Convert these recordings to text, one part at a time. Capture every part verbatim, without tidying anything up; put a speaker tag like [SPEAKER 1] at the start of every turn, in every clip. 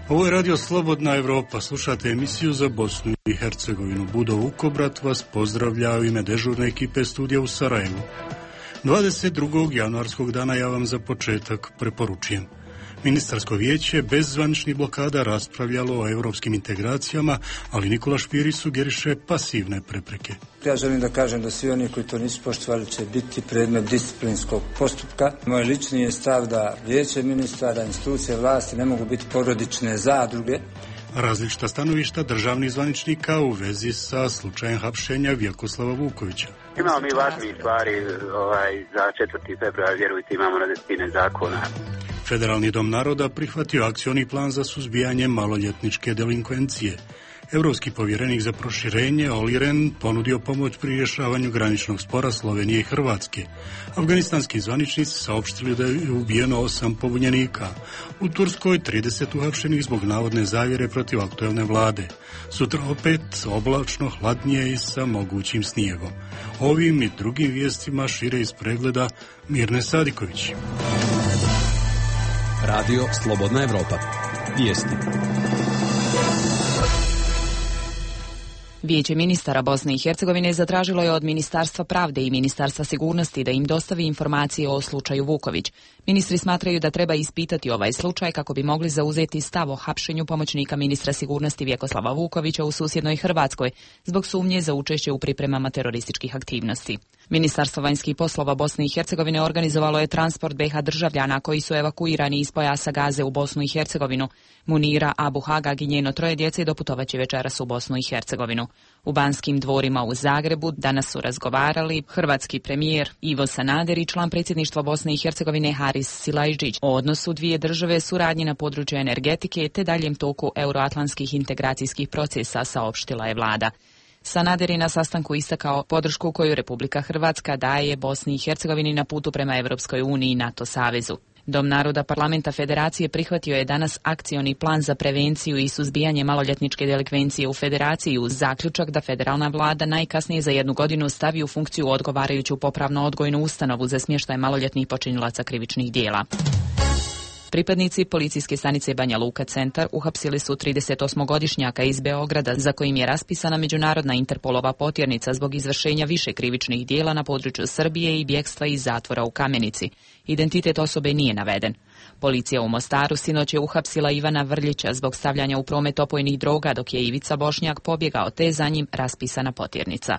[SPEAKER 1] Ovo je Radio Slobodna Evropa. Slušate emisiju za Bosnu i Hercegovinu. Budo Vukobrat vas pozdravlja u ime dežurne ekipe studija u Sarajevu. dvadeset drugog januarskog dana ja vam za početak preporučujem. Ministarsko vijeće bez zvaničnih blokada raspravljalo o europskim integracijama, ali Nikola Špiri sugeriše pasivne prepreke.
[SPEAKER 2] Ja želim da kažem da svi oni koji to nisu poštovali će biti predmet disciplinskog postupka. Moj lični je stav da vijeće ministara, institucije vlasti ne mogu biti porodične zadruge.
[SPEAKER 1] Različita stanovišta državnih zvaničnika u vezi sa slučajem hapšenja Vjekoslava Vukovića.
[SPEAKER 3] Imamo mi važnije stvari ovaj, za četvrti februar, vjerujte, imamo na desetine zakona.
[SPEAKER 1] Federalni dom naroda prihvatio akcioni plan za suzbijanje maloljetničke delinkvencije. Europski povjerenik za proširenje Olli Rehn ponudio pomoć pri rješavanju graničnog spora Slovenije i Hrvatske. Afganistanski zvaničnici saopštili da je ubijeno osam pobunjenika. U Turskoj trideset uhapšenih zbog navodne zavjere protiv aktuelne vlade. Sutra opet oblačno, hladnije i sa mogućim snijegom. Ovim i drugim vijestima šire iz pregleda Mirne Sadiković.
[SPEAKER 4] Radio Slobodna Evropa. Vijesti.
[SPEAKER 5] Vijeće ministara Bosne i Hercegovine zatražilo je od Ministarstva pravde i Ministarstva sigurnosti da im dostavi informacije o slučaju Vuković. Ministri smatraju da treba ispitati ovaj slučaj kako bi mogli zauzeti stav o hapšenju pomoćnika ministra sigurnosti Vjekoslava Vukovića u susjednoj Hrvatskoj zbog sumnje za učešće u pripremama terorističkih aktivnosti. Ministarstvo vanjskih poslova Bosne i Hercegovine organizovalo je transport be ha državljana koji su evakuirani iz pojasa Gaze u Bosnu i Hercegovinu. Munira Abu Hagag i njeno troje djece doputovaće večeras u Bosnu i Hercegovinu. U Banskim dvorima u Zagrebu danas su razgovarali hrvatski premijer Ivo Sanader i član predsjedništva Bosne i Hercegovine Haris Silajđić o odnosu dvije države, suradnji na području energetike te daljem toku euroatlantskih integracijskih procesa, saopštila je vlada. Sanader je na sastanku istakao podršku koju Republika Hrvatska daje Bosni i Hercegovini na putu prema Europskoj uniji i NATO savezu. Dom naroda Parlamenta Federacije prihvatio je danas akcioni plan za prevenciju i suzbijanje maloljetničke delikvencije u Federaciji uz zaključak da federalna vlada najkasnije za jednu godinu stavi u funkciju odgovarajuću popravno-odgojnu ustanovu za smještaj maloljetnih počinilaca krivičnih djela. Pripadnici policijske stanice Banja Luka centar uhapsili su tridesetosmogodišnjaka iz Beograda za kojim je raspisana međunarodna Interpolova potjernica zbog izvršenja više krivičnih djela na području Srbije i bjegstva iz zatvora u Kamenici. Identitet osobe nije naveden. Policija u Mostaru sinoć je uhapsila Ivana Vrljića zbog stavljanja u promet opojnih droga dok je Ivica Bošnjak pobjegao te za njim raspisana potjernica.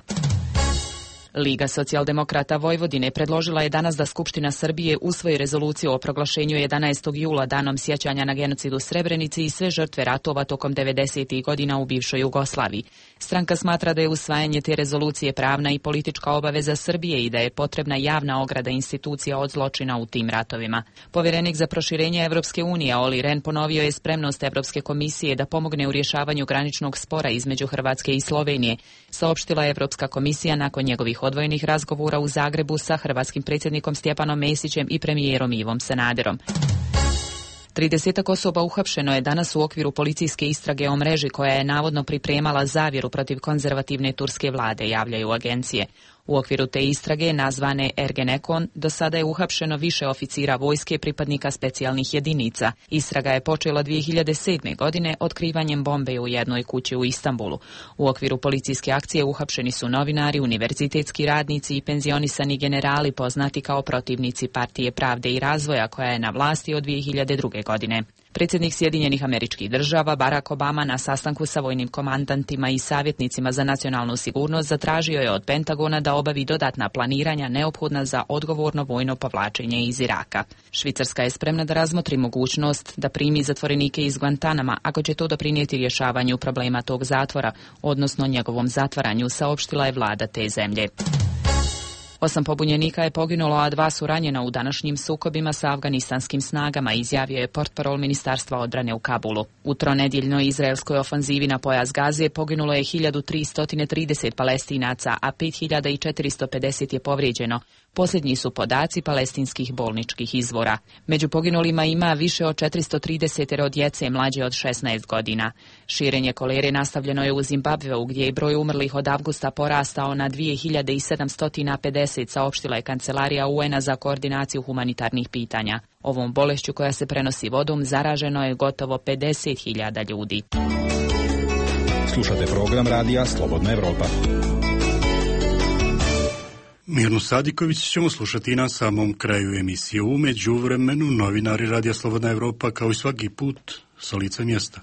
[SPEAKER 5] Liga socijaldemokrata Vojvodine predložila je danas da Skupština Srbije usvoji rezoluciju o proglašenju jedanaestog jula danom sjećanja na genocid u Srebrenici i sve žrtve ratova tokom devedesetih godina u bivšoj Jugoslaviji. Stranka smatra da je usvajanje te rezolucije pravna i politička obaveza Srbije i da je potrebna javna ograda institucija od zločina u tim ratovima. Povjerenik za proširenje Evropske unije Olli Rehn ponovio je spremnost Evropske komisije da pomogne u rješavanju graničnog spora između Hrvatske i Slovenije, saopštila je Evropska komisija nakon njegovih odvojenih razgovora u Zagrebu sa hrvatskim predsjednikom Stjepanom Mesićem i premijerom Ivom Sanaderom. Tridesetak osoba uhapšeno je danas u okviru policijske istrage o mreži koja je navodno pripremala zavjeru protiv konzervativne turske vlade, javljaju agencije. U okviru te istrage, nazvane Ergenekon, do sada je uhapšeno više oficira vojske pripadnika specijalnih jedinica. Istraga je počela dvije hiljade sedme. godine otkrivanjem bombe u jednoj kući u Istanbulu. U okviru policijske akcije uhapšeni su novinari, univerzitetski radnici i penzionisani generali poznati kao protivnici Partije pravde i razvoja koja je na vlasti od dvije hiljade druge. godine. Predsjednik Sjedinjenih Američkih Država Barack Obama na sastanku sa vojnim komandantima i savjetnicima za nacionalnu sigurnost zatražio je od Pentagona da obavi dodatna planiranja neophodna za odgovorno vojno povlačenje iz Iraka. Švicarska je spremna da razmotri mogućnost da primi zatvorenike iz Guantanama ako će to doprinijeti rješavanju problema tog zatvora, odnosno njegovom zatvaranju, saopštila je vlada te zemlje. Osam pobunjenika je poginulo, a dva su ranjena u današnjim sukobima sa afganistanskim snagama, izjavio je portparol Ministarstva odbrane u Kabulu. U tronedjeljnoj izraelskoj ofanzivi na pojas Gaze poginulo je hiljadu tristo trideset Palestinaca, a pet hiljada četiristo pedeset je povrijeđeno. Posljednji su podaci palestinskih bolničkih izvora. Među poginulima ima više od četiristo trideset djece mlađe od šesnaest godina. Širenje kolere nastavljeno je u Zimbabveu, gdje je broj umrlih od avgusta porastao na dvije hiljade sedamsto pedeset, saopštila je Kancelarija U N-a za koordinaciju humanitarnih pitanja. Ovom bolešću, koja se prenosi vodom, zaraženo je gotovo pedeset hiljada ljudi.
[SPEAKER 4] Slušate program radija Slobodna Evropa.
[SPEAKER 1] Mirnu Sadiković ćemo slušati na samom kraju emisije. U međuvremenu novinari Radija Slobodna Evropa, kao i svaki put, sa lica mjesta.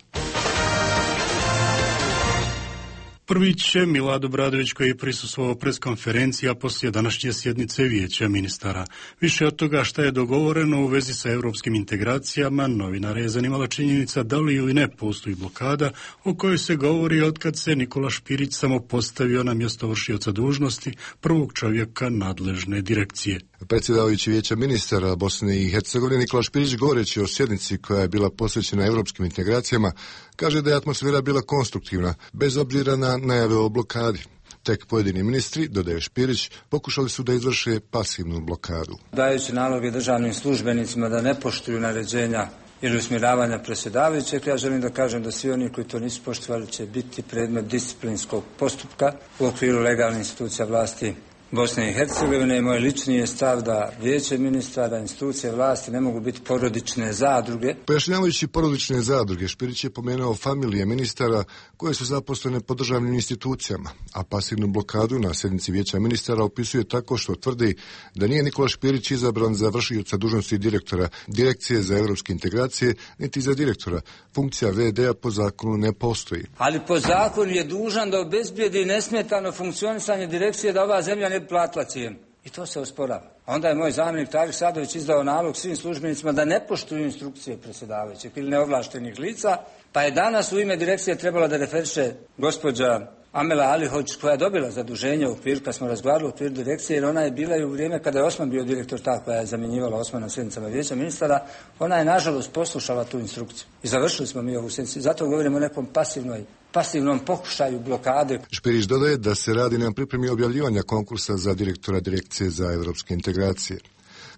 [SPEAKER 1] Prvi će Milad Obradović, koji je prisustvovao preskonferenciji, a poslije današnje sjednice Vijeća ministara. Više od toga šta je dogovoreno u vezi sa europskim integracijama, novinare je zanimala činjenica da li ili ne postoji blokada o kojoj se govori otkad se Nikola Špirić samo postavio na mjesto vršioca dužnosti prvog čovjeka nadležne direkcije.
[SPEAKER 6] Predsjedavajući Vijeća ministara Bosne i Hercegovine Nikola Špirić, govoreći o sjednici koja je bila posvećena europskim integracijama, kaže da je atmosfera bila konstruktivna, bez obzira na najave o blokadi. Tek pojedini ministri, dodaje Špirić, pokušali su da izvrše pasivnu blokadu.
[SPEAKER 2] Dajući naloge državnim službenicima da ne poštuju naređenja ili usmjeravanja predsjedavajućeg, ja želim da kažem da svi oni koji to nisu poštovali će biti predmet disciplinskog postupka u okviru legalnih institucija vlasti Bosne i Hercegovine. Moj lični je stav da Vijeće ministara, institucije vlasti ne mogu biti porodične zadruge.
[SPEAKER 6] Pojašnjavajući porodične zadruge, Špirić je pomenuo familije ministara koje su zaposlene po državnim institucijama, a pasivnu blokadu na sjednici Vijeća ministara opisuje tako što tvrdi da nije Nikola Špirić izabran za vršioca dužnosti direktora Direkcije za europske integracije, niti za direktora. Funkcija ve de a po zakonu ne postoji.
[SPEAKER 2] Ali po zakonu je dužan da obezbijedi nesmetano funkcionisanje direkcije, da ova zemlja ne platila cijenu. I to se osporava. Onda je moj zamjenik Tarik Sadović izdao nalog svim službenicima da ne poštuju instrukcije predsjedavajućeg ili neovlaštenih lica, pa je danas u ime direkcije trebala da referiše gospođa Amela Alihoć, koja je dobila zaduženje u okviru, kad smo razgovarali u okviru direkcije, jer ona je bila i u vrijeme kada je Osman bio direktor, ta koja je zamjenjivala Osmana na sjednicama Vijeća ministara, ona je nažalost poslušala tu instrukciju. I završili smo mi ovu sjednicu. Zato govorimo o nekom pasivnoj pasivnom pokušaju blokade.
[SPEAKER 6] Špirić dodaje da se radi na pripremi objavljivanja konkursa za direktora Direkcije za europske integracije.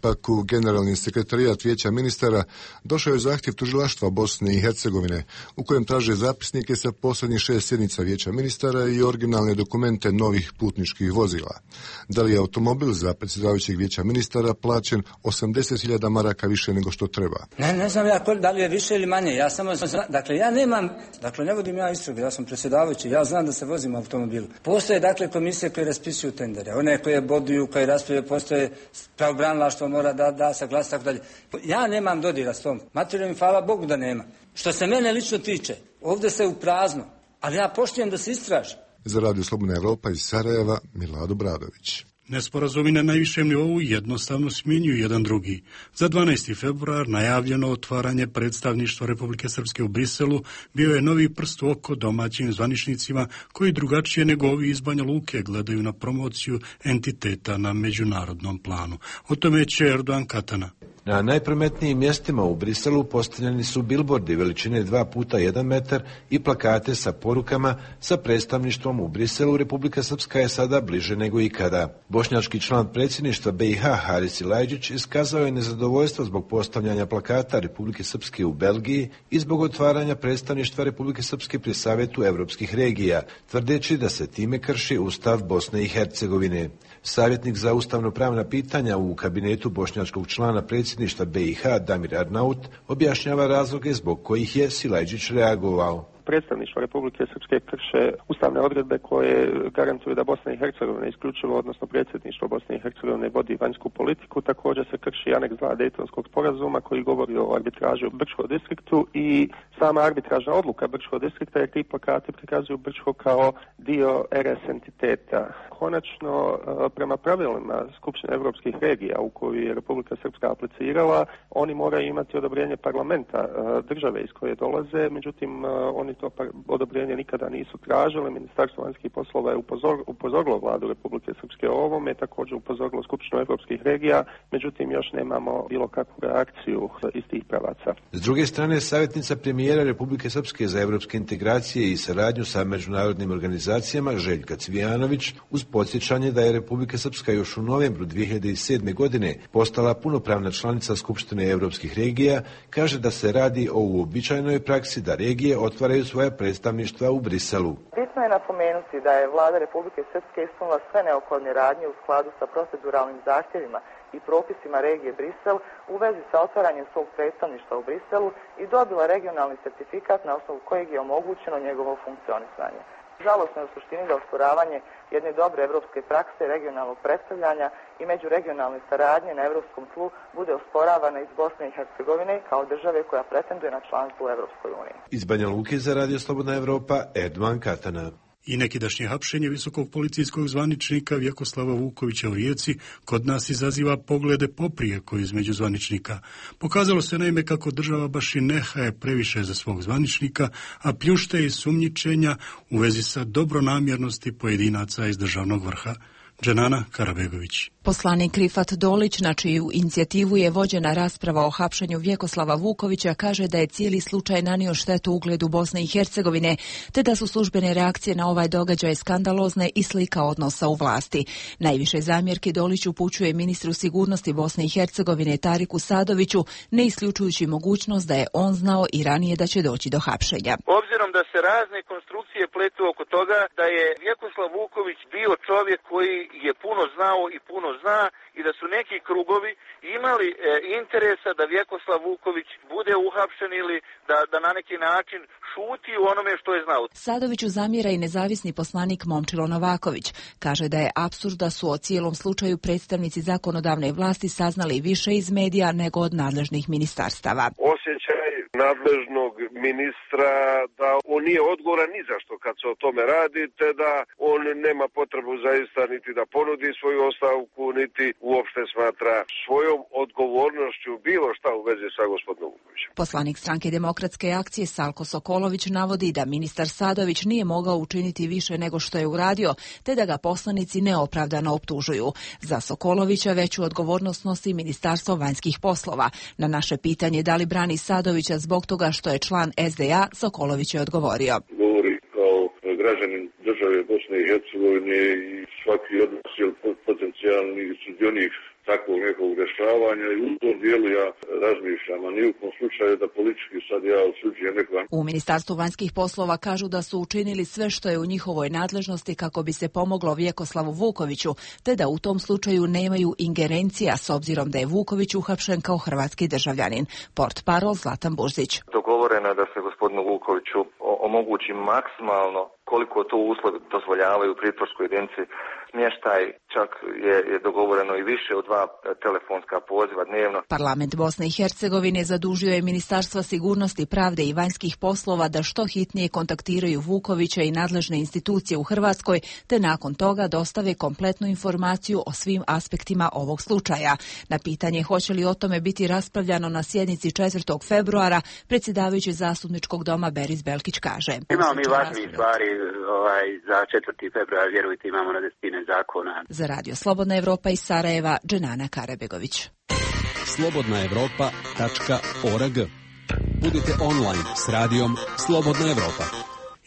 [SPEAKER 6] Pak u generalni sekretarijat Vijeća ministara došao je zahtjev tužilaštva Bosne i Hercegovine, u kojem traže zapisnike sa posljednjih šest sjednica Vijeća ministara i originalne dokumente novih putničkih vozila. Da li je automobil za predsjedavajućeg Vijeća ministara plaćen osamdeset hiljada maraka više nego što treba?
[SPEAKER 2] Ne, ne znam ja da li je više ili manje. Ja samo znam, dakle ja nemam, dakle ne vodim ja istragu, ja sam predsjedavajući, ja znam da se vozim u automobilu. Postoje dakle komisije koje raspisuju tendere, one koje boduju, koje raspravljaju, postoje pravobranilaštvo mora da da saglasnost, tako dalje. Ja nemam dodira s tom materijom i hvala Bogu da nema. Što se mene lično tiče, ovdje se u prazno, ali ja poštujem da se istraži.
[SPEAKER 6] Za Radio Slobodna Evropa iz Sarajeva, Milad Obradović.
[SPEAKER 1] Nesporazumi na najvišem nivou jednostavno smjenjuju jedan drugi. Za dvanaesti februar najavljeno otvaranje predstavništva Republike Srpske u Briselu bio je novi prst u oko domaćim zvaničnicima koji drugačije nego ovi iz Banja Luke gledaju na promociju entiteta na međunarodnom planu. O tome će Erdogan Katana.
[SPEAKER 7] Na najprometnijim mjestima u Briselu postavljeni su bilbordi veličine dva puta jedan metar i plakate sa porukama sa predstavništvom u Briselu. Republika Srpska je sada bliže nego ikada. Bošnjački član predsjedništva be i ha Haris Silajdžić iskazao je nezadovoljstvo zbog postavljanja plakata Republike Srpske u Belgiji i zbog otvaranja predstavništva Republike Srpske pri Savjetu evropskih regija, tvrdeći da se time krši Ustav Bosne i Hercegovine. Savjetnik za ustavno-pravna pitanja u kabinetu bošnjačkog člana predsjedništva be i ha Damir Arnaut objašnjava razloge zbog kojih je Silajdžić reagovao.
[SPEAKER 8] Predstavništvo Republike Srpske krše ustavne odredbe koje garantuju da Bosna i Hercegovina isključivo, odnosno predsjedništvo Bosne i Hercegovine vodi vanjsku politiku. Također se krši aneks dva Dejtonskog sporazuma koji govori o arbitraži u Brčkom distriktu i sama arbitražna odluka Brčkog distrikta, jer ti plakati prikazuju Brčko kao dio er es entiteta. Konačno, prema pravilima Skupštine evropskih regija u koju je Republika Srpska aplicirala, oni moraju imati odobrenje parlamenta države iz koje dolaze, međutim oni to odobrenje nikada nisu tražili. Ministarstvo vanjskih poslova je upozor, upozorilo vladu Republike Srpske o ovome, također upozorilo Skupštinu evropskih regija, međutim još nemamo bilo kakvu reakciju iz tih pravaca.
[SPEAKER 7] S druge strane, savjetnica premijera Republike Srpske za evropske integracije i saradnju sa međunarodnim organizacijama Željka Cvijanović, uz podsjećanje da je Republika Srpska još u novembru dvije hiljade sedme. godine postala punopravna članica Skupštine evropskih regija, kaže da se radi o uobičajenoj praksi da regije otvaraju svoja predstavništva u Briselu.
[SPEAKER 9] Bitno je napomenuti da je vlada Republike Srpske ispunila sve neophodne radnje u skladu sa proceduralnim zahtjevima i propisima regije Brisel u vezi sa otvaranjem svog predstavništva u Briselu i dobila regionalni certifikat na osnovu kojeg je omogućeno njegovo funkcionisanje. Žalosno je u suštini da osporavanje jedne dobre evropske prakse regionalnog predstavljanja i međuregionalne saradnje na evropskom tlu bude osporavana iz Bosne i Hercegovine kao države koja pretenduje na članstvo u Evropskoj uniji.
[SPEAKER 7] Iz Banja Luke za Radio Slobodna Evropa, Erdovan Katana.
[SPEAKER 1] I nekidašnje hapšenje visokog policijskog zvaničnika Vjekoslava Vukovića u Rijeci kod nas izaziva poglede poprijeko između zvaničnika. Pokazalo se naime kako država baš i ne haje previše za svog zvaničnika, a pljušte i sumnjičenja u vezi sa dobronamjernosti pojedinaca iz državnog vrha. Dženana Karabegović.
[SPEAKER 5] Poslanik Rifat Dolić, na čiju inicijativu je vođena rasprava o hapšenju Vjekoslava Vukovića, kaže da je cijeli slučaj nanio štetu ugledu Bosne i Hercegovine, te da su službene reakcije na ovaj događaj skandalozne i slika odnosa u vlasti. Najviše zamjerke Dolić upućuje ministru sigurnosti Bosne i Hercegovine Tariku Sadoviću, ne isključujući mogućnost da je on znao i ranije da će doći do hapšenja.
[SPEAKER 10] Obzirom da se razne konstrukcije pletu oko toga da je Vjekoslav Vuković bio čovjek koji je puno znao i puno zna i da su neki krugovi imali e, interesa da Vjekoslav Vuković bude uhapšen ili da, da na neki način šuti u onome što je znao.
[SPEAKER 5] Sadoviću zamjera i nezavisni poslanik Momčilo Novaković. Kaže da je apsurd da su o cijelom slučaju predstavnici zakonodavne vlasti saznali više iz medija nego od nadležnih ministarstava.
[SPEAKER 11] Osjećaj nadležnog ministra da on nije odgovoran ni za što kad se o tome radi, te da on nema potrebu zaista niti da ponudi svoju ostavku, niti uopšte smatra svojom odgovornošću bilo šta u vezi sa gospodinom Vukovićem.
[SPEAKER 5] Poslanik Stranke demokratske akcije Salko Sokolović navodi da ministar Sadović nije mogao učiniti više nego što je uradio, te da ga poslanici neopravdano optužuju. Za Sokolovića veću odgovornost nosi Ministarstvo vanjskih poslova. Na naše pitanje da li brani Sadovića zbog toga što je član es de a, Sokolović je odgovorio.
[SPEAKER 12] Govori kao građanin države Bosne i Hercegovine i svaki od nas je potencijalni sudionik takvog nekog rješavanja i u tom dijelu ja razmišljam, a ni u kom slučaju da politički sad ja osuđujem nekoga.
[SPEAKER 5] U Ministarstvu vanjskih poslova kažu da su učinili sve što je u njihovoj nadležnosti kako bi se pomoglo Vjekoslavu Vukoviću, te da u tom slučaju nemaju ingerencija s obzirom da je Vuković uhapšen kao hrvatski državljanin. Portparol Zlatan Burzić.
[SPEAKER 13] Dogovoreno je da se gospodinu Vukoviću omogući maksimalno koliko to uslovi dozvoljavaju u pritvorskoj jedinici smještaj, čak je, je dogovoreno i više od dva telefonska poziva dnevno.
[SPEAKER 5] Parlament Bosne i Hercegovine zadužio je Ministarstva sigurnosti, pravde i vanjskih poslova da što hitnije kontaktiraju Vukovića i nadležne institucije u Hrvatskoj, te nakon toga dostave kompletnu informaciju o svim aspektima ovog slučaja. Na pitanje hoće li o tome biti raspravljano na sjednici četvrtog februara, predsjedavajući Zastupničkog doma Beris Belkić kaže:
[SPEAKER 3] Imamo mi važnije stvari ovaj, za četvrti februar, vjerujte, imamo na desetine zakona.
[SPEAKER 5] Za Radio Slobodna Evropa iz Sarajeva, Dženana Karabegović.
[SPEAKER 4] slobodna evropa tačka org. Budite online s radijom Slobodna Evropa.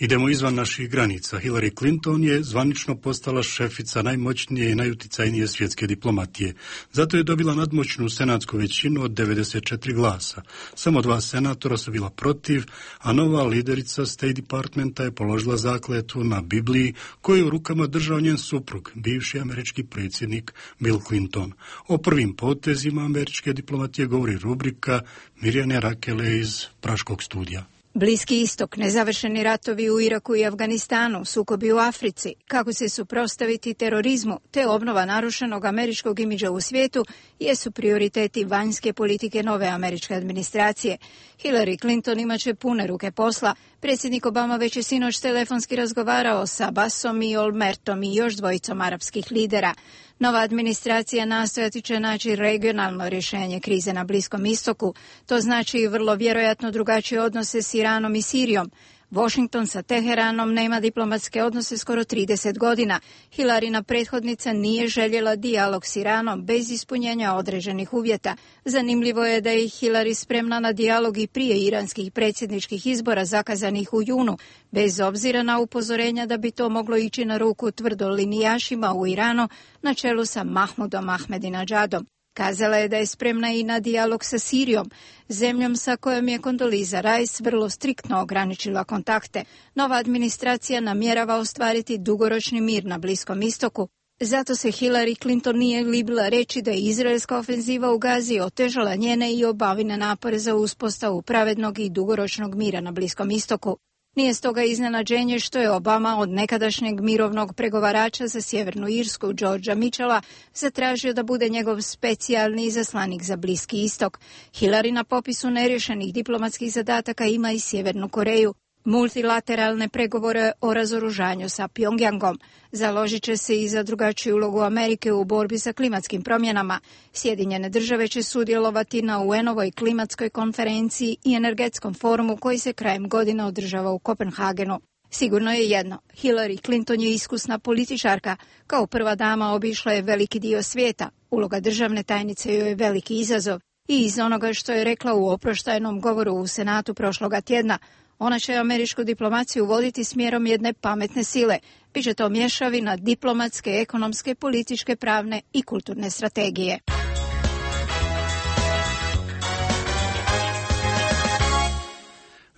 [SPEAKER 1] Idemo izvan naših granica. Hillary Clinton je zvanično postala šefica najmoćnije i najuticajnije svjetske diplomatije. Zato je dobila nadmoćnu senatsku većinu od devedeset četiri glasa. Samo dva senatora su bila protiv, a nova liderica State Departmenta je položila zakletvu na Bibliji koju je u rukama držao njen suprug, bivši američki predsjednik Bill Clinton. O prvim potezima američke diplomatije govori rubrika Mirjane Rakele iz Praškog studija.
[SPEAKER 14] Bliski istok, nezavršeni ratovi u Iraku i Afganistanu, sukobi u Africi, kako se suprotstaviti terorizmu te obnova narušenog američkog imidža u svijetu jesu prioriteti vanjske politike nove američke administracije. Hillary Clinton imaće pune ruke posla. Predsjednik Obama već je sinoć telefonski razgovarao sa Abbasom i Olmertom i još dvojicom arapskih lidera. Nova administracija nastojati će naći regionalno rješenje krize na Bliskom istoku. To znači vrlo vjerojatno drugačije odnose s Iranom i Sirijom. Washington sa Teheranom nema diplomatske odnose skoro trideset godina. Hilarina prethodnica nije željela dijalog s Iranom bez ispunjenja određenih uvjeta. Zanimljivo je da je Hillary spremna na dijalog i prije iranskih predsjedničkih izbora zakazanih u junu, bez obzira na upozorenja da bi to moglo ići na ruku tvrdolinijašima u Iranu na čelu sa Mahmudom Ahmadinejadom. Kazala je da je spremna i na dijalog sa Sirijom, zemljom sa kojom je Condoleezza Rice vrlo striktno ograničila kontakte. Nova administracija namjerava ostvariti dugoročni mir na Bliskom istoku. Zato se Hillary Clinton nije libila reći da je izraelska ofenziva u Gazi otežala njene i obavine napore za uspostavu pravednog i dugoročnog mira na Bliskom istoku. Nije stoga iznenađenje što je Obama od nekadašnjeg mirovnog pregovarača za Sjevernu Irsku, Georgea Mitchella, zatražio da bude njegov specijalni izaslanik za Bliski istok. Hillary na popisu neriješenih diplomatskih zadataka ima i Sjevernu Koreju. Multilateralne pregovore o razoružanju sa Pjongjangom. Založit će se i za drugačiju ulogu Amerike u borbi sa klimatskim promjenama. Sjedinjene države će sudjelovati na U N-ovoj klimatskoj konferenciji i energetskom forumu koji se krajem godine održava u Kopenhagenu. Sigurno je jedno, Hillary Clinton je iskusna političarka. Kao prva dama obišla je veliki dio svijeta. Uloga državne tajnice joj je veliki izazov. I iz onoga što je rekla u oproštajnom govoru u Senatu prošloga tjedna, ona će američku diplomaciju voditi smjerom jedne pametne sile. Biće to mješavina diplomatske, ekonomske, političke, pravne i kulturne strategije.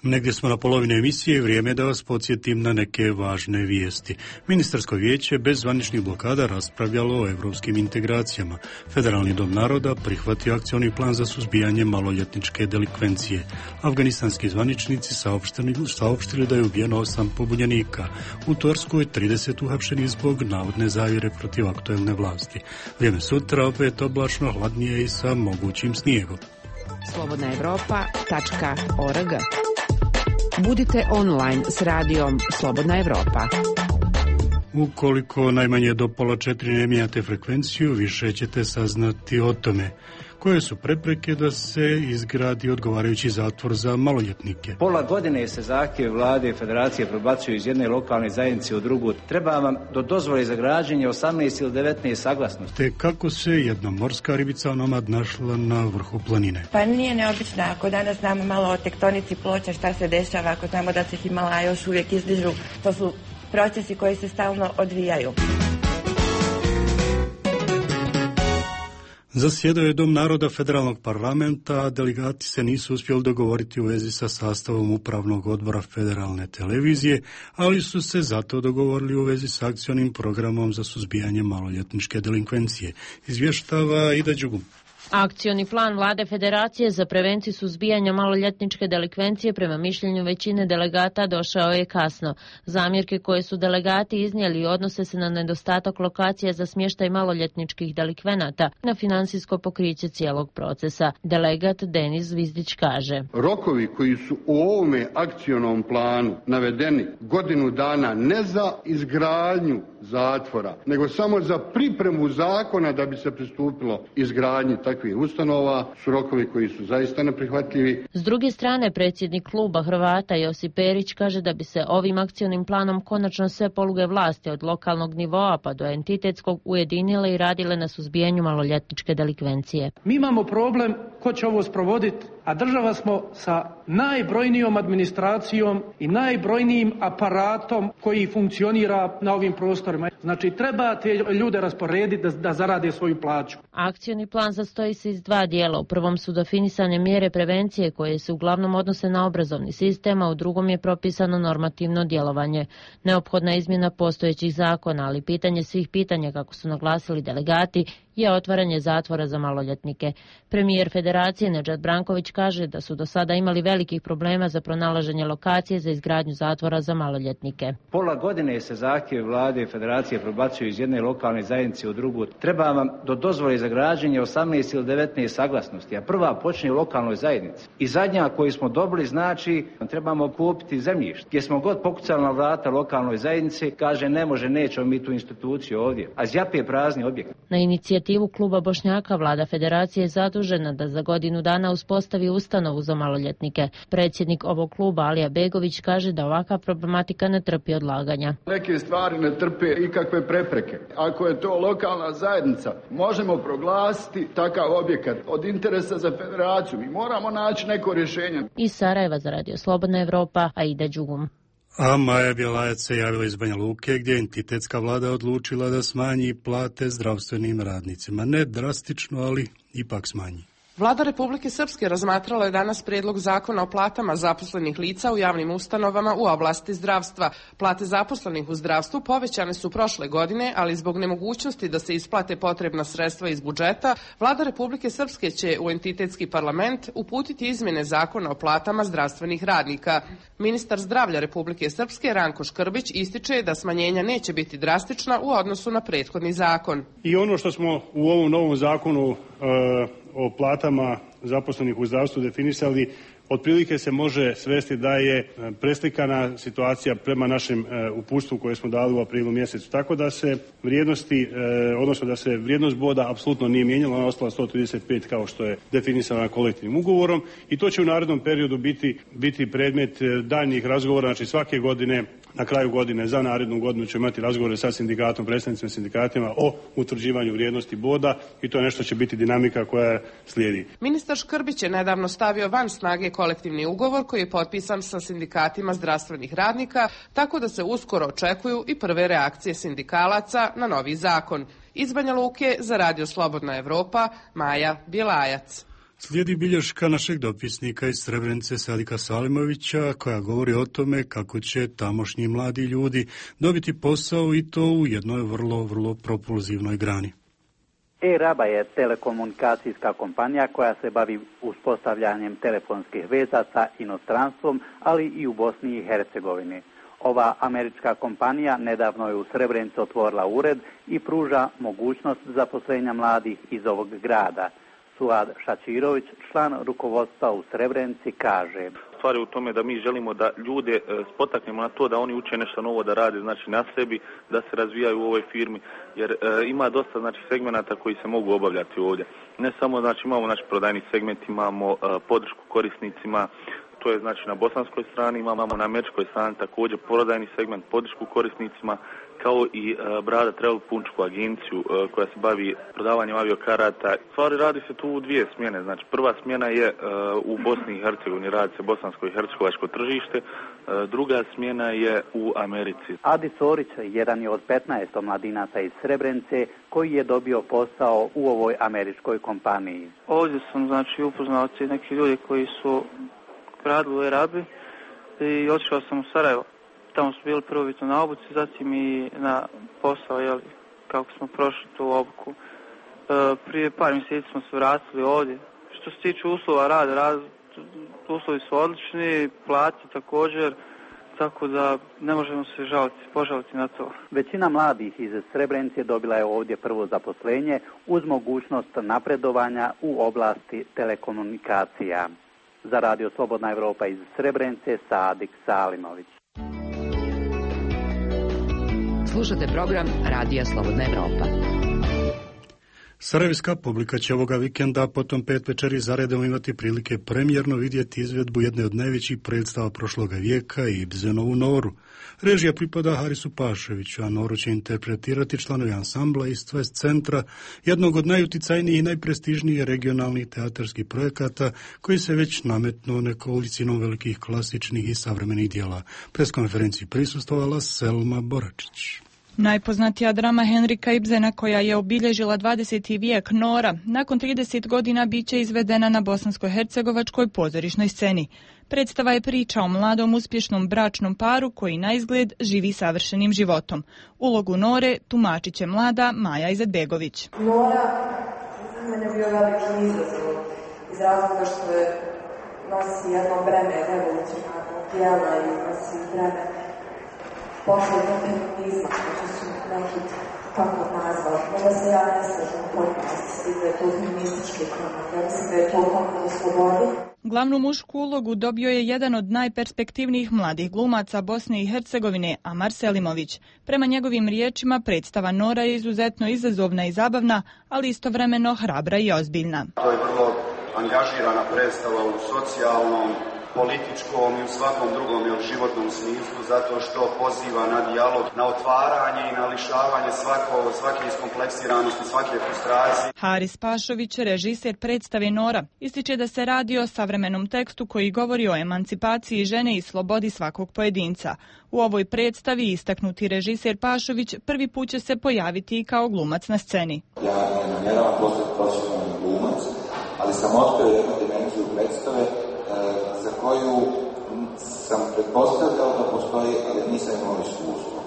[SPEAKER 1] Negdje smo na polovini emisije, vrijeme je da vas podsjetim na neke važne vijesti. Ministarsko vijeće bez zvaničnih blokada raspravljalo o europskim integracijama. Federalni dom naroda prihvatio akcioni plan za suzbijanje maloljetničke delikvencije. Afganistanski zvaničnici saopštili, saopštili da je ubijeno osam pobunjenika. U Turskoj trideset uhapšenih zbog navodne zavjere protiv aktuelne vlasti. Vrijeme sutra opet oblačno, hladnije i sa mogućim snijegom.
[SPEAKER 15] slobodna europa tačka org. Budite online s radijom Slobodna Evropa.
[SPEAKER 1] Ukoliko najmanje do pola četiri ne mijenjate frekvenciju, više ćete saznati o tome. Koje su prepreke da se izgradi odgovarajući zatvor za maloljetnike?
[SPEAKER 16] Pola godine se zahtjev vlade i federacije prebacuju iz jedne lokalne zajednice u drugu. Treba vam do dozvole za građenje osamnaest ili devetnaest saglasnosti.
[SPEAKER 1] Te kako se jedna morska ribica onomad našla na vrhu planine?
[SPEAKER 17] Pa nije neobično. Ako danas znamo malo o tektonici ploča, šta se dešava, ako znamo da se Himalaja još uvijek izdižu, to su procesi koji se stalno odvijaju.
[SPEAKER 1] Zasjedao je Dom naroda federalnog parlamenta, a delegati se nisu uspjeli dogovoriti u vezi sa sastavom upravnog odbora federalne televizije, ali su se zato dogovorili u vezi s akcionim programom za suzbijanje maloljetničke delinkvencije. Izvještava Ida Đugum.
[SPEAKER 18] Akcioni plan Vlade Federacije za prevenciju suzbijanja maloljetničke delikvencije prema mišljenju većine delegata došao je kasno. Zamjerke koje su delegati iznijeli odnose se na nedostatak lokacija za smještaj maloljetničkih delikvenata, na financijsko pokriće cijelog procesa. Delegat Denis Zvizdić kaže:
[SPEAKER 19] rokovi koji su u ovome akcionom planu navedeni godinu dana ne za izgradnju zatvora, nego samo za pripremu zakona da bi se pristupilo izgradnji takvih ustanova, su rokovi koji su zaista neprihvatljivi.
[SPEAKER 18] S druge strane, predsjednik kluba Hrvata Josip Perić kaže da bi se ovim akcionim planom konačno sve poluge vlasti od lokalnog nivoa pa do entitetskog ujedinile i radile na suzbijanju maloljetničke delikvencije.
[SPEAKER 20] Mi imamo problem ko će ovo sprovoditi, a država smo sa najbrojnijom administracijom i najbrojnijim aparatom koji funkcionira na ovim prostorima. Znači, treba te ljude rasporediti da, da zarade svoju plaću.
[SPEAKER 18] Akcioni plan sastoji se iz dva dijela. U prvom su definisane mjere prevencije koje se uglavnom odnose na obrazovni sistem, a u drugom je propisano normativno djelovanje. Neophodna izmjena postojećih zakona, ali pitanje svih pitanja, kako su naglasili delegati, je otvaranje zatvora za maloljetnike. Premijer Federacije Nedžad Branković kaže da su do sada imali velikih problema za pronalaženje lokacije za izgradnju zatvora za maloljetnike.
[SPEAKER 16] Pola godine se zahtjev vlade i federacije prebacuju iz jedne lokalne zajednice u drugu. Treba vam do dozvole za građenje osamnaest ili devetnaest saglasnosti, a prva počne u lokalnoj zajednici. I zadnja koju smo dobili znači trebamo kupiti zemljište. Gdje smo god pokucali na vrata lokalnoj zajednici, kaže ne može, nećemo mi tu instituciju ovdje, a zjape prazni objekt.
[SPEAKER 18] Na inicijativu inicijativu Kluba Bošnjaka vlada federacije je zadužena da za godinu dana uspostavi ustanovu za maloljetnike. Predsjednik ovog kluba Alija Begović kaže da ovakva problematika ne trpi odlaganja.
[SPEAKER 21] Neke stvari ne trpe ikakve prepreke. Ako je to lokalna zajednica, možemo proglasiti takav objekat od interesa za federaciju i moramo naći neko rješenje.
[SPEAKER 18] Iz Sarajeva za Radio Slobodna Evropa, Aida Đugum.
[SPEAKER 1] A Maja Bjelajac se javila iz Banja Luke, gdje je entitetska vlada odlučila da smanji plate zdravstvenim radnicima. Ne drastično, ali ipak smanji.
[SPEAKER 22] Vlada Republike Srpske razmatrala je danas prijedlog zakona o platama zaposlenih lica u javnim ustanovama u oblasti zdravstva. Plate zaposlenih u zdravstvu povećane su prošle godine, ali zbog nemogućnosti da se isplate potrebna sredstva iz budžeta, Vlada Republike Srpske će u entitetski parlament uputiti izmjene zakona o platama zdravstvenih radnika. Ministar zdravlja Republike Srpske Ranko Škrbić ističe da smanjenja neće biti drastična u odnosu na prethodni zakon.
[SPEAKER 23] I ono što smo u ovom novom zakonu e, o platama zaposlenih u zdravstvu definisali, otprilike se može svesti da je preslikana situacija prema našem uputstvu koje smo dali u aprilu mjesecu. Tako da se vrijednosti, odnosno da se vrijednost boda apsolutno nije mijenjala, ona je ostala sto trideset pet kao što je definisana kolektivnim ugovorom i to će u narednom periodu biti, biti predmet daljnjih razgovora, znači svake godine. Na kraju godine, za narednu godinu ćemo imati razgovore sa sindikatom, predstavnicima sindikatima o utvrđivanju vrijednosti boda i to je nešto će biti dinamika koja slijedi.
[SPEAKER 22] Ministar Škrbić je nedavno stavio van snage kolektivni ugovor koji je potpisan sa sindikatima zdravstvenih radnika, tako da se uskoro očekuju i prve reakcije sindikalaca na novi zakon. Iz Banja Luke za Radio Slobodna Evropa, Maja Bjelajac.
[SPEAKER 1] Slijedi bilješka našeg dopisnika iz Srebrenice Sadika Salimovića koja govori o tome kako će tamošnji mladi ljudi dobiti posao i to u jednoj vrlo, vrlo propulzivnoj grani.
[SPEAKER 24] E-Raba je telekomunikacijska kompanija koja se bavi uspostavljanjem telefonskih veza sa inostranstvom, ali i u Bosni i Hercegovini. Ova američka kompanija nedavno je u Srebrenici otvorila ured i pruža mogućnost zaposlenja mladih iz ovog grada. Suad Šačirović, član rukovodstva u Srebrenici, kaže:
[SPEAKER 25] Stvar je u tome da mi želimo da ljude spotaknemo na to da oni uče nešto novo da rade, znači na sebi, da se razvijaju u ovoj firmi, jer e, ima dosta znači segmenata koji se mogu obavljati ovdje. Ne samo znači imamo naš prodajni segment, imamo e, podršku korisnicima. To je znači na bosanskoj strani, imamo na američkoj strani također prodajni segment, podršku korisnicima, kao i e, Brada Travel Punčku agenciju e, koja se bavi prodavanjem aviokarata. Stvari radi se tu u dvije smjene. Znači prva smjena je e, u Bosni i Hercegovini, radi se bosansko i hercegovačko tržište, e, druga smjena je u Americi.
[SPEAKER 24] Adi Sorić jedan je od petnaest mladinaca iz Srebrenice koji je dobio posao u ovoj američkoj kompaniji.
[SPEAKER 26] Ovdje sam znači upoznao neki ljudi koji su radili u E-Rabi i otišao sam u Sarajevo. Tamo su bili prvobitno na obuci, zatim i na posao, jeli, kako smo prošli tu obuku. E, prije par mjeseci smo se vratili ovdje. Što se tiče uslova rada, rad, uslovi su odlični, plati također, tako da ne možemo se žaliti, požaliti na to.
[SPEAKER 24] Većina mladih iz Srebrenice dobila je ovdje prvo zaposlenje uz mogućnost napredovanja u oblasti telekomunikacija. Za Radio Slobodna Evropa iz Srebrenice, Sadik Salimović.
[SPEAKER 5] Slušate program Radija Slobodna Evropa.
[SPEAKER 1] Sarajevska publika će ovoga vikenda potom pet večeri zaredom imati prilike premijerno vidjeti izvedbu jedne od najvećih predstava prošloga vijeka, Ibsenovu Noru. Režija pripada Harisu Paševiću, a Noru će interpretirati članovi ansambla iz Twist centra, jednog od najuticajnijih i najprestižnijih regionalnih teatarskih projekata koji se već nametnuo nekolicinom velikih klasičnih i savremenih dijela. Preskonferenciji prisustvovala Selma Boračić.
[SPEAKER 27] Najpoznatija drama Henrika Ibsena koja je obilježila dvadeseti vijek, Nora, nakon trideset godina bit će izvedena na bosansko-hercegovačkoj pozorišnoj sceni. Predstava je priča o mladom uspješnom bračnom paru koji na izgled živi savršenim životom. Ulogu Nore tumačit će mlada Maja Izetbegović.
[SPEAKER 28] Nora za mene bio veliki izazov iz razloga što je nosi jedno breme revolucionarnog tijela i nosi breme posljednog feminizma, što su neki tako nazvali, možda se ja ne slažem potpuno mislim da je to feministički korak, ja mislim da je to korak do slobode.
[SPEAKER 27] Glavnu mušku ulogu dobio je jedan od najperspektivnijih mladih glumaca Bosne i Hercegovine, Amar Selimović. Prema njegovim riječima, predstava Nora je izuzetno izazovna i zabavna, ali istovremeno hrabra i ozbiljna.
[SPEAKER 2] To je vrlo angažirana predstava u socijalnom, političkom i u svakom drugom jel, životnom smislu, zato što poziva na dijalog, na otvaranje i na lišavanje svako, svake iskompleksiranosti, svake frustracije.
[SPEAKER 27] Haris Pašović, režiser predstave Nora, ističe da se radi o savremenom tekstu koji govori o emancipaciji žene i slobodi svakog pojedinca. U ovoj predstavi istaknuti režiser Pašović prvi put će se pojaviti i kao glumac na sceni.
[SPEAKER 6] Ja ne namjeravam postati profesionalni glumac, ali sam otkrio jednu dimenziju predstave za koju sam pretpostavljao da postoji, ali nisam imao iskustvo.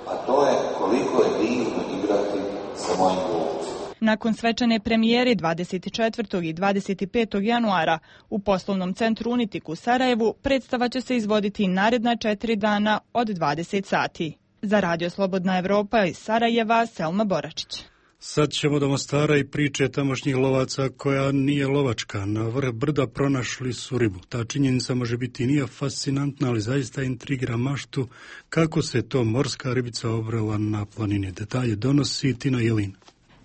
[SPEAKER 6] A to je koliko je divno igrati sa mojim glumcima.
[SPEAKER 27] Nakon svečane premijere dvadeset četvrtog i dvadeset petog januara u poslovnom centru Unitik u Sarajevu, predstava će se izvoditi naredna četiri dana od dvadeset sati. Za Radio Slobodna Evropa iz Sarajeva, Selma Boračić.
[SPEAKER 1] Sad ćemo do Mostara i priče tamošnjih lovaca koja nije lovačka. Na vrh brda pronašli su ribu. Ta činjenica može biti nije fascinantna, ali zaista intrigira maštu kako se to morska ribica obrala na planini. Detalje donosi Tina Jelin.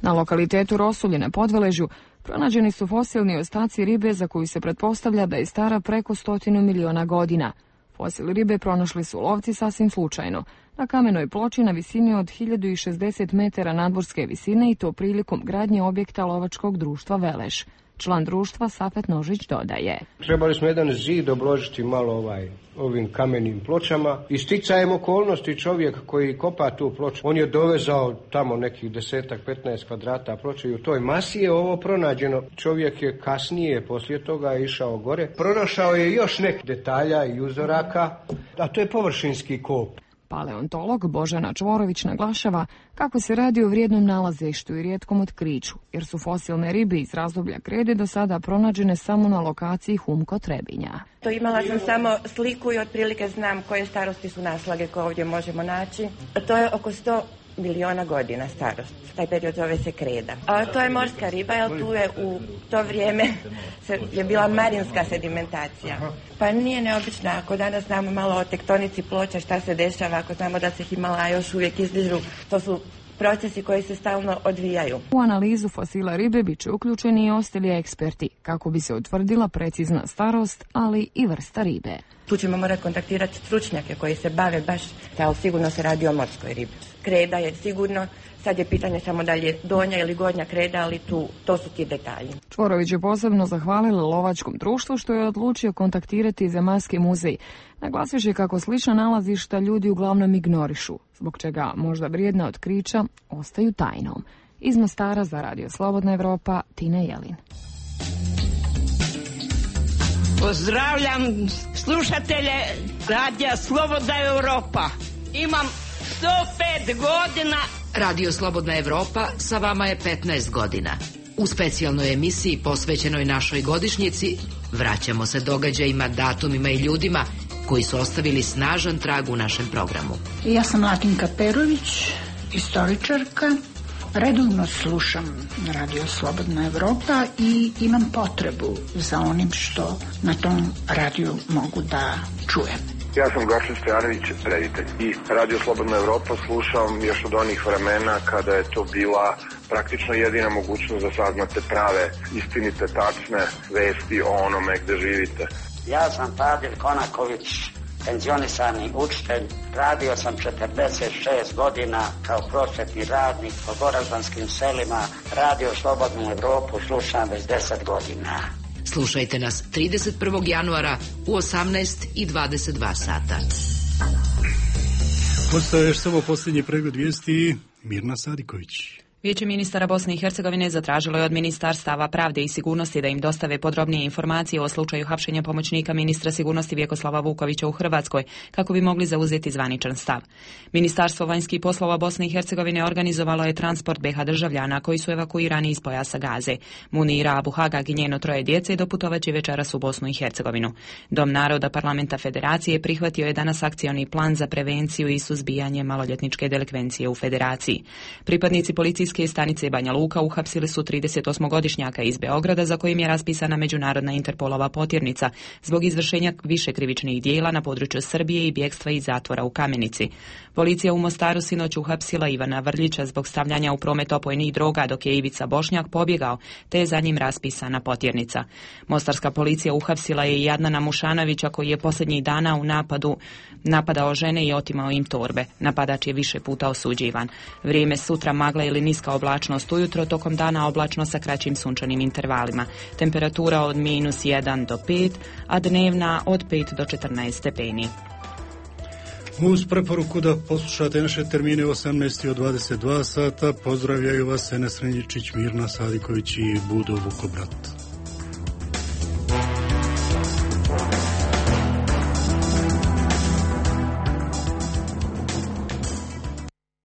[SPEAKER 7] Na lokalitetu Rosulje na Podveležju pronađeni su fosilni ostaci ribe za koju se pretpostavlja da je stara preko stotinu miliona godina. Fosil ribe pronašli su lovci sasvim slučajno, na kamenoj ploči na visini od hiljadu šezdeset metara nadmorske visine i to prilikom gradnje objekta lovačkog društva Veleš. Član društva Safet Nožić dodaje.
[SPEAKER 8] Trebali smo jedan zid obložiti malo ovaj, ovim kamenim pločama. I sticajem okolnosti čovjek koji kopa tu ploču, on je dovezao tamo nekih desetak, petnaest kvadrata ploče i u toj masi je ovo pronađeno. Čovjek je kasnije poslije toga išao gore. Pronašao je još nek detalja i uzoraka, a to je površinski kop.
[SPEAKER 7] Paleontolog Božana Čvorović naglašava kako se radi o vrijednom nalazištu i rijetkom otkriću, jer su fosilne ribe iz razdoblja krede do sada pronađene samo na lokaciji Humko Trebinja.
[SPEAKER 17] To imala sam samo sliku i otprilike znam koje starosti su naslage koje ovdje možemo naći. To je oko sto miliona godina starost. Taj period zove se kreda. A to je morska riba, jer tu je u to vrijeme je bila marinska sedimentacija. Pa nije neobično ako danas znamo malo o tektonici ploča, šta se dešava, ako znamo da se Himalaja još uvijek izdižu. To su procesi koji se stalno odvijaju.
[SPEAKER 7] U analizu fosila ribe bit će uključeni i ostali eksperti, kako bi se utvrdila precizna starost, ali i vrsta ribe.
[SPEAKER 17] Tu ćemo morati kontaktirati stručnjake koji se bave baš, ali sigurno se radi o morskoj ribi. Kreda je sigurno, sad je pitanje samo da li je donja ili gornja kreda, ali tu, to su ti detalji.
[SPEAKER 7] Čvorović je posebno zahvalila lovačkom društvu što je odlučio kontaktirati Zemaljski muzej. Naglasivši kako slična nalazišta ljudi uglavnom ignorišu, zbog čega možda vrijedna otkrića ostaju tajnom. Iz Mostara za Radio Slobodna Evropa, Tina Jelin.
[SPEAKER 9] Pozdravljam slušatelje Radija Slobodna Evropa. Imam sto pet godina.
[SPEAKER 10] Radio Slobodna Evropa sa vama je petnaest godina. U specijalnoj emisiji posvećenoj našoj godišnjici vraćamo se događajima, datumima i ljudima koji su ostavili snažan trag u našem programu.
[SPEAKER 11] Ja sam Latinka Perović, istoričarka. Redovno slušam Radio Slobodna Evropa i imam potrebu za onim što na tom radiju mogu da čujem.
[SPEAKER 12] Ja sam Gašin Stojanović, reditelj. I Radio Slobodna Evropa slušam još od onih vremena kada je to bila praktično jedina mogućnost da saznate prave, istinite, tačne vesti o onome gde živite.
[SPEAKER 29] Ja sam Fadil Konaković, penzionisani učitelj. Radio sam četrdeset šest godina kao prosvetni radnik po goraždanskim selima. Radio Slobodnu Evropu slušam već deset godina.
[SPEAKER 10] Slušajte nas trideset prvog januara u osamnaest i dvadeset dva sata.
[SPEAKER 1] Postoje još samo posljednji pregled vijesti. Mirna Sadiković.
[SPEAKER 5] Vijeće ministara Bosne i Hercegovine zatražilo je od Ministarstava pravde i sigurnosti da im dostave podrobnije informacije o slučaju hapšenja pomoćnika ministra sigurnosti Vjekoslava Vukovića u Hrvatskoj, kako bi mogli zauzeti zvaničan stav. Ministarstvo vanjskih poslova Bosne i Hercegovine organizovalo je transport be ha državljana koji su evakuirani iz pojasa Gaze. Munira Abu Hagag i njeno troje djece doputovaće večeras u Bosnu i Hercegovinu. Dom naroda Parlamenta Federacije prihvatio je danas akcioni plan za prevenciju i suzbijanje maloljetničke delikvencije u Federaciji. Pripadnici policijskog policijske stanice Banja Luka uhapsili su tridesetosmogodišnjaka iz Beograda za kojim je raspisana međunarodna Interpolova potjernica zbog izvršenja više krivičnih dijela na području Srbije i bjegstva iz zatvora u Kamenici. Policija u Mostaru sinoć uhapsila Ivana Vrljića zbog stavljanja u promet opojnih droga, dok je Ivica Bošnjak pobjegao, te je za njim raspisana potjernica. Mostarska policija uhapsila je i Adnana Mušanovića koji je posljednjih dana u napadu napadao žene i otimao im torbe. Napadač je više puta osuđivan. Vrijeme sutra magla ili niska oblačnost ujutro, tokom dana oblačno sa kraćim sunčanim intervalima. Temperatura od minus jedan do pet, a dnevna od pet do četrnaest stepeni.
[SPEAKER 1] Uz preporuku da poslušate naše termine osamnaest i dvadeset dva sata, pozdravljaju vas Enes Renjičić, Mirna Sadiković i Budo Vukobrat.